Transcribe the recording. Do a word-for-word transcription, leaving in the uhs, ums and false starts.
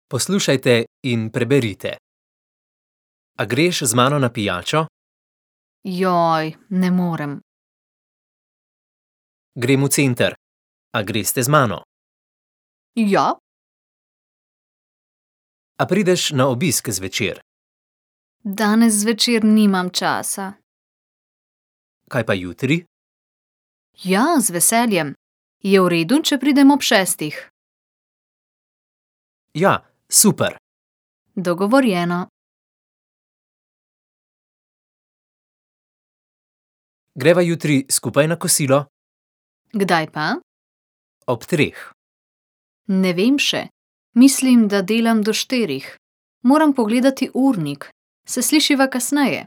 Poslušajte in preberite. A greš z mano na pijačo? Joj, ne morem. Grem v center. A greste z mano? Ja, A prideš na obisk zvečer? danes zvečer nimam časa. Kaj pa jutri? Ja, z veseljem. Je v redu, če pridem ob šestih? Ja, super. Dogovorjeno. Greva jutri skupaj na kosilo? Kdaj pa? Ob treh. Ne vem še. Mislim, da delam do štirih. Moram pogledati urnik. Se slišiva kasneje.